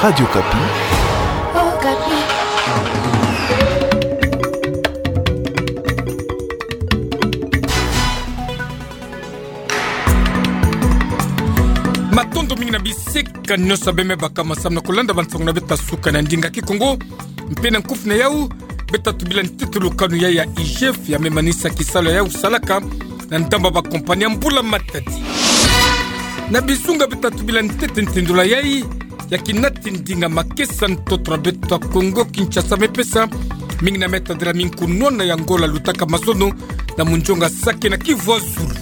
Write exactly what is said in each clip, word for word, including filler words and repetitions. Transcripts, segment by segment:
Radio Okapi. Okapi. Matondo mingi na bisika nyonso beme baka masamu na kulanda bansango na beto ya suka na ndinga Kikongo. Mpe na nkufi na yau, beto tubila ntete lukanu yai ya I G F ya me manisa kisalu ya yau salaka na ndamba ba kompani ya mbula matadi. Na bizunga beto tubila ntete ntindola yai ya kinati ndinga makesa ntoto na beto ya Kongo Kinshasa me pesa, mingi na me tadila mingi kunwana ya ngola lutaka mazono na munjonga sake na Kivu ya Zulu.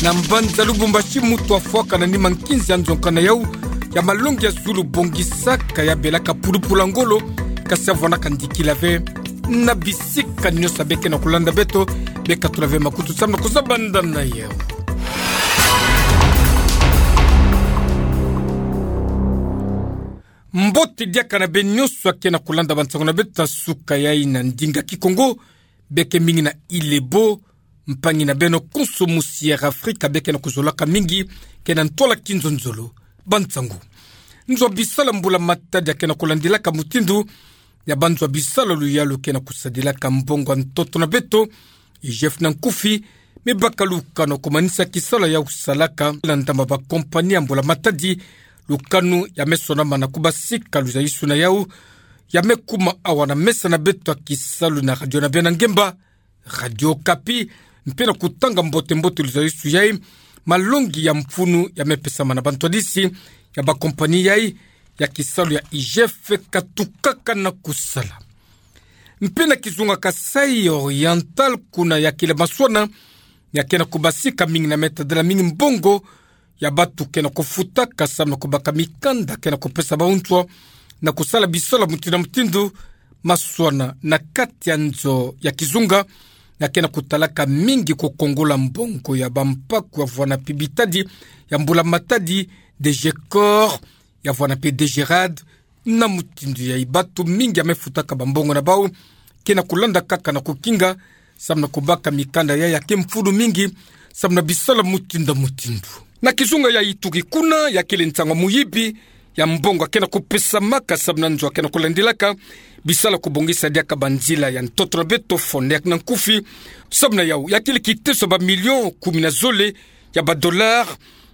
Na mbanza Lubumbashi mutu afwaka na nima nkinzi ya nzonka na yau ya malongi ya zulu bongisaka ya belaka pulupulu ya ngolo, kasi avwanaka ndikila ve. Na bisika nyonso beke na kulanda beto, beka tula ve makutu samu na kuzabanda na yau. Mbote diaka na beno nyonso ake na kulanda bansango na beto ya suka yai na ndinga Kikongo, beke mingi na Ile Bo, mpangi na beno konso musi Air Afrika beke na kuzolaka mingi, ke na ntwala kinzonzolo. Bansango. Nzo ya bisalu ya mbula matadi ake na kulandilaka mutindu ya banzo ya bisalu ya luyalu ke na kusadilaka mbongo ya ntoto na beto, I G F na nkufi, me baka lukanu ya kumanisa kisalu ya yau salaka na ndamba ba kompani ya mbula matadi, lukanu ya me sonama na kubasika luzaisu na yau, ya me kuma awa na mesa na beto ya kisalu na radio na beno ya ngemba, Radio Okapi, mpe na kutanga mbote-mbote luzaisu yai, malongi ya mfunu ya me pesama na bantwadisi ya ba kompani yai, ya kisalu ya I G F katukaka na kusala. Mpe na kizunga Kasaï Oriental kuna ya kila maswana, ya ke na kubasika mingi na me tadila mingi mbongo ya batu ke na kufutaka samu na kubaka mikanda ke na kupesa bawu nswa na kusala bisalu ya mutindu na mutindu, maswana na kati ya nzo ya kizunga, ya ke na kutalaka mingi kukongola mbongo ya bampaku ya vwana mpe bitadi ya mbula matadi, DGCOR, ya vwana mpe DGRAD, na mutindu yai batu mingi ya me futaka bambongo na bawu, ke na kulanda kaka na kukinga, samu na kubaka mikanda yai ya ke mfunu mingi, samu na bisalu ya mutindu na mutindu. Na kizunga ya Ituri kuna, ya kele nsangu ya muyibi ya mbongo ya ke na kupesamaka samu na nzo ya ke na kulandilaka bisalu ya kubongisa diaka banzila ya ntoto na beto, FONER na nkufi, samu na yau, ya kele kiteso ya ba millions kumi na zole ya ba dollars,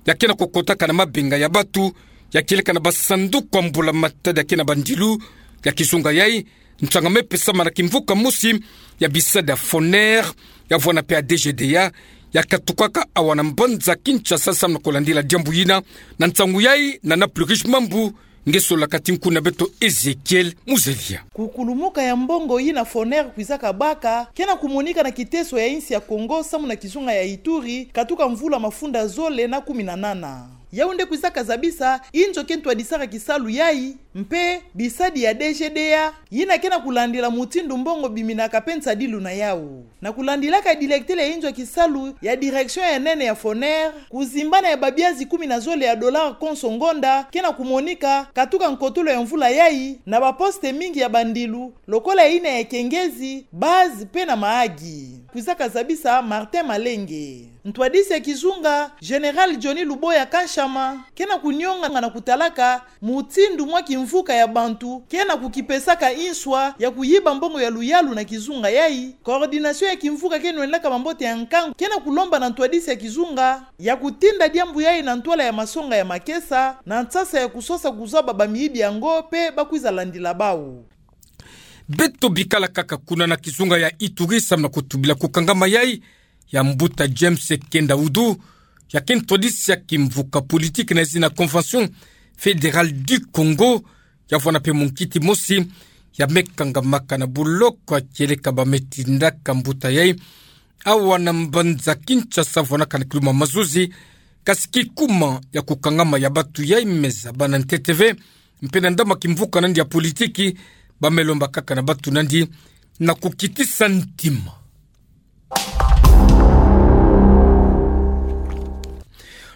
ya ke na kukotaka na mabenga ya batu, ya kieleka na basanduku ya mbula matadi ya ke na bandilu, ya kizunga yai, nsangu ya me pesama na kimvuka mosi ya bisadi ya FONER, ya vwana mpe ya DGDA, ya katukaka awa na mbanza Kinshasa samu na kulandila diambu yina, na nsangu yai, na Plus Riche Mambu, nge solaka ti nkundu na beto Ezekiel Muzalia. Kukulumuka ya mbongo yina FONER kwizaka baka, ke na kumonika na kiteso ya insi ya Kongo samu na kizunga ya Ituri, katuka mvula mafunda zole na kumi na nana. Yau nde kwizaka zabisa inzo ke ntwadisaka kisalu yai, mpe bisadi ya DGDA, yina ke na kulandila mutindu mbongo biminaka mpe nsadilu na yau. Na kulandilaka diletele ya inzo ya kisalu ya direction ya nene ya FONER, kuzimbana ya babiazi kumi na zole ya dollars konso ngonda ke na kumonika, katuka nkotolo ya mvula yai, na baposte mingi ya bandilu, lokola yina ya Kengezi, Base mpe na Mahagi. Kwizaka zabisa Martin Malenge. Ntwadisi ya kizunga, Général Johnny Luboya Kanshama, ke na kunionga na kutalaka mutindu mwa kimvuka ya bantu ke na kukipesaka inswa ya kuyiba mbongo ya luyalu na kizunga yai. Coordination ya kimvuka ke nwendaka mambote ya nkangu ke na kulomba na ntwadisi ya kizunga ya kutinda diambu yai na ntwala ya masonga ya makesa, na nsasa ya kusosa kuzaba bamiyibi yango mpe bakwiza landila bawu. Beto bikala kaka kuna na kizunga ya Ituri samu na kutubila kukangama yai ya mbuta James Kenda Udu, ya ke ntwadisi ya kimvuka politique na zina Convention Fédérale du Congo, ya vwana mpe munkiti mosi ya me kangamaka na buloko ya kieleka ba me tindaka mbuta yai awa na mbanza Kinshasa, vwanaka na kiluma mazuzi, kasi kikuma ya kukangama ya batu yai me zaba na ntete ve, mpe na ndambu ya kimvuka nandi ya politique, ba me lomba kaka na batu nandi na kukitisa ntima.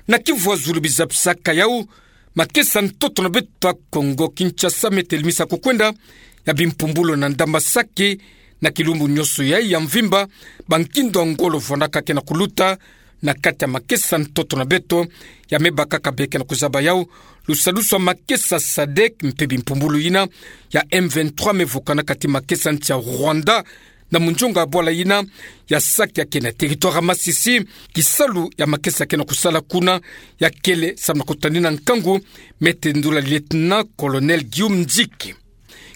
Na Kivu ya Zulu bizapisaka yau, makesa ntoto na beto ya Kongo Kinshasa me telemisa kukwenda ya bimpumbulu na ndamba sake na kilumbu nyonso yai ya mvimba, ba nkindo ya ngolo vwanaka ke na kuluta na kati ya makesa ntoto na beto, ya me bakaka be ke na kuzaba yau lusadusu ya makesa sadek mpe bimpumbulu yina ya M vingt-trois me vukanaka ti makesa nsi ya Rwanda, na munzonga bwala yina ya Sake yake na territoire ya Masisi, kisalu ya makesa yake na kusala kuna yakele samu na kutanina nkangu, me tendula lieutenant-colonel Guillaume Nziki.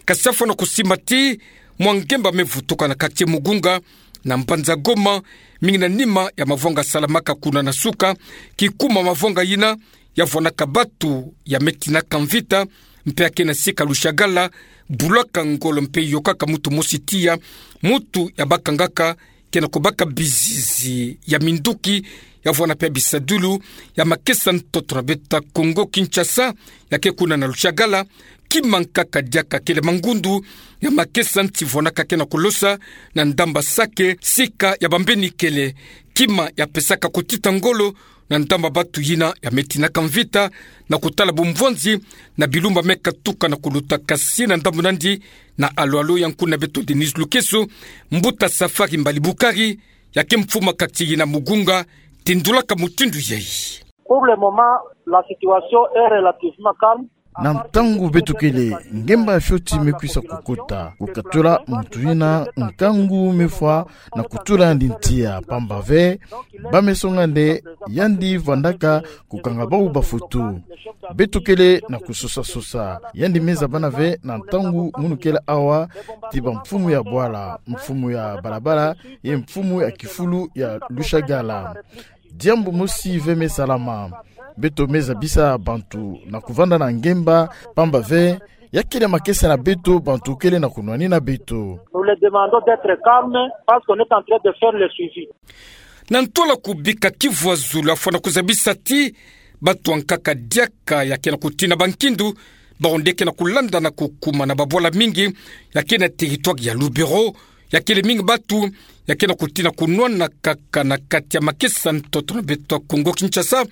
Kasi afwa na kusimba ti mwa ngemba me vutuka na quartier Mugunga, na mbanza Goma, mingi na nima ya mavwanga salamaka kuna na suka, kikuma mavwanga yina yavwanaka batu ya me tinaka mvita, mpe yake na sika Lushagala, bulaka ngolo mpe yokaka muntu mosi tiya, muntu ya bakangaka, ke na kubaka bizizi ya minduki, yavwana mpe bisadulu ya makesa ntoto na beto ya Congo Kinshasa, yake kuna na Lushagala, kima nkaka diaka kele mangundu ya makesa nsi vwanaka ke na kulosa na ndamba Sake, sika ya bambeni kele kima ya pesaka kutita ngolo na ndamba batu yina ya me tinaka mvita, na kutala bumvwanzi na bilumbu me katuka na kuluta. Kasi na ndambu nandi, na alo-alo ya nkuna beto Denise Lukeso, mbuta Safari Mbali Bukari, yake mfumu ya quartier yina Mugunga, tendulaka mutindu yayi. Pour le moment, la situation est relativement calme. Na ntangu beto kele, ngemba fioti me kwisa kukota, kukatula muntu yina nkangu me fwa na kutula yandi ntia, pamba ve ba me songa nde yandi vandaka kukanga bau bafutu. Beto kele na kusosa-sosa. Yandi me zabana ve na ntangu munu kele awa ti bamfumu ya bwala, mfumu ya balabala, ye mfumu ya kifulu ya Lushagala. Diambu mosi ve me salama. Beto me zabisa bantu na kuvanda na ngemba, pamba ve ya kele makesa na beto, bantu kele na kunwanina beto. Nous les demandons d'être calmes parce qu'on est en train de faire le suivi. Na ntwala kubika kivwazulu, afwa na kuzabisa ti bato ya nkaka diaka yake na kutina bankindu, bau nde ke na kulanda na kukuma na babwala mingi yake na territoire ya Lubero, ya kele mingi batu yake na kutina kunwana kaka na kati ya makesa ntoto na beto ya Congo Kinshasa,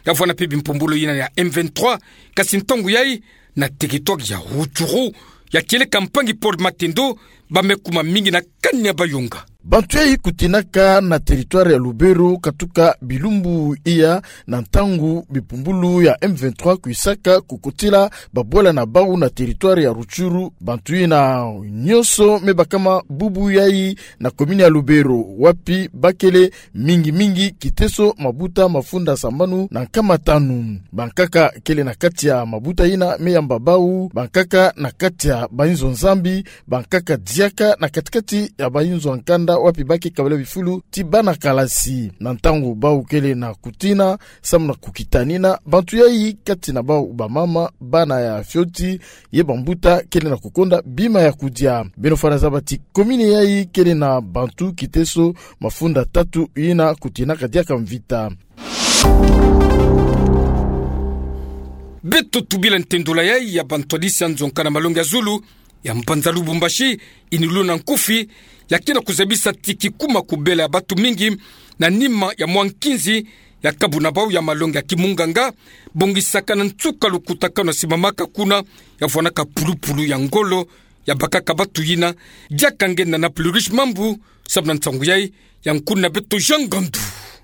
yavwana mpe bimpumbulu yina ya M vingt-trois, kasi ntangu yayi na territoire ya Rutshuru, ya kieleka mpangi Paul Matendo, ba me kuma mingi na kani ya bayonga. Bantu yayi kutinaka na territoire ya Lubero katuka bilumbu iya, na ntangu bimpumbulu ya M vingt-trois kwisaka kukotila babwala na bau na territoire ya Rutshuru. Bantu yina nyonso me bakama bubu yayi na commune ya Lubero, wapi ba kele mingi-mingi kiteso mabuta mafunda sambanu na nkama tanu. Bankaka kele na kati ya mabuta yina me yamba bau, bankaka na kati ya bayinzo Nzambi, bankaka diaka na kati-kati ya bayinzo ya nkanda, wapi ba ke kabila bifulu ti bana kalasi. Na ntangu bau kele na kutina samu na kukitanina, bantu yayi, kati na bau bamama, bana ya fioti, ye bambuta, kele na kukonda bima ya kudia. Beno fwana zaba ti commune yayi kele na bantu kiteso mafunda tatu yina kutinaka diaka mvita. Beto tubila ntendula yayi ya bantwadisi ya nzonga na malongi ya zulu ya mbanza Lubumbashi, ini luna nkufi, ya ke na kuzabisa ti kikuma kubela ya batu mingi na nima ya mwa nkinzi ya kabu na bau ya malongi ya kimunganga, bongisaka na nsuka lukutakanu ya simamaka kuna, ya vwanaka pulupulu ya ngolo, ya bakaka batu yina. Diaka nge na na Plurish Mambu, samu na nsangu yayi, ya nkuna beto Jean Ngandu.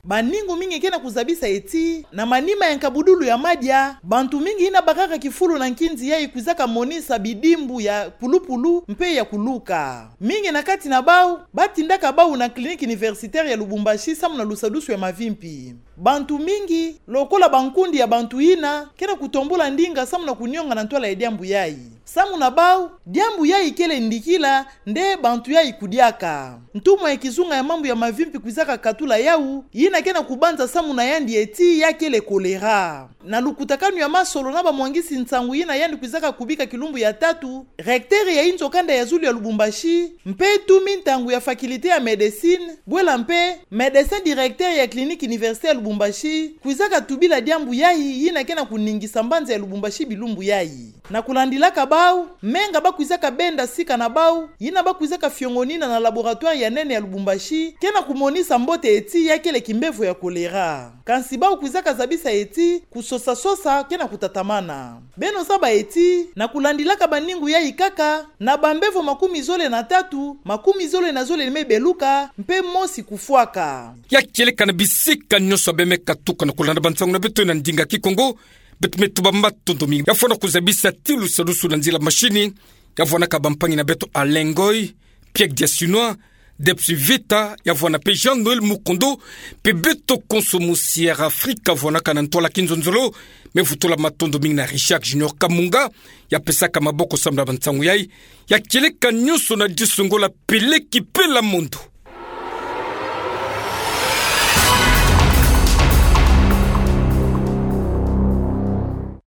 Baningu mingi ke na kuzabisa ti, na manima ya nkabudulu ya madia, bantu mingi yina bakaka kifulu na nkinzi yayi kwizaka monisa bidimbu ya pulupulu mpe ya kuluka. Mingi na kati na bau, ba tindaka bau na Clinique Universitaire ya Lubumbashi samu na lusadusu ya mavimpi. Bantu mingi, lokola bankundi ya bantu yina, ke na kutombula ndinga samu na kunionga na ntwala ya diambu yayi. Samu na bau, diambu yayi kele ndikila nde bantu yayi kudiaka. Ntumwa ya kizunga ya mambu ya mavimpi kwizaka katula yau, yina ke na kubanza samu na yandi ti ya kele choléra. Na lukutakanu ya masolo na bamwangisi nsangu yina yandi kwizaka kubika kilumbu ya tatu, recteur ya inzo kanda ya zulu ya Lubumbashi, mpe tumi ntangu ya faculté ya médecine, bwela mpe médecin directeur ya Clinique Universitaire ya Lubumbashi, kwizaka tubila diambu yayi yina ke na kuningisa mbanza ya Lubumbashi bilumbu yayi. Na kulandilaka bau, menga ba kwizaka benda sika na bau, yina ba kwizaka fiongonina na laboratoire ya nene ya Lubumbashi, ke na kumonisa mbote ti ya kele kimbevo ya choléra. Kansi bau kwizaka zabisa ti, kusosa-sosa ke na kutatamana. Beno zaba ti, na kulandilaka baningu yayi kaka, na bambevo makumi zole na tatu, makumi zole na zole me beluka, mpe mosi kufwaka. Ya kieleka na bisika nyonso be me katuka na kulanda bansangu na beto na ndinga Kikongo, Beto me tuba matondo mingi. Ya fwana kuzabisa tilu salusu na nzila mashini, ya fwanaka bampangi na beto Alain Ngoy, Pierre Diasinois, Debs Vita, ya fwana pe Jean-Noël Mukondo, pe beto konso mo Sierra Africa, fwanaka na ntwala kinzonzolo. Me vutula matondo mingi na Richard Junior Kamunga, ya pesaka maboko sambla ba nsangu yai, ya kieleka nyonso na diso ngolo pele ki pela mondo.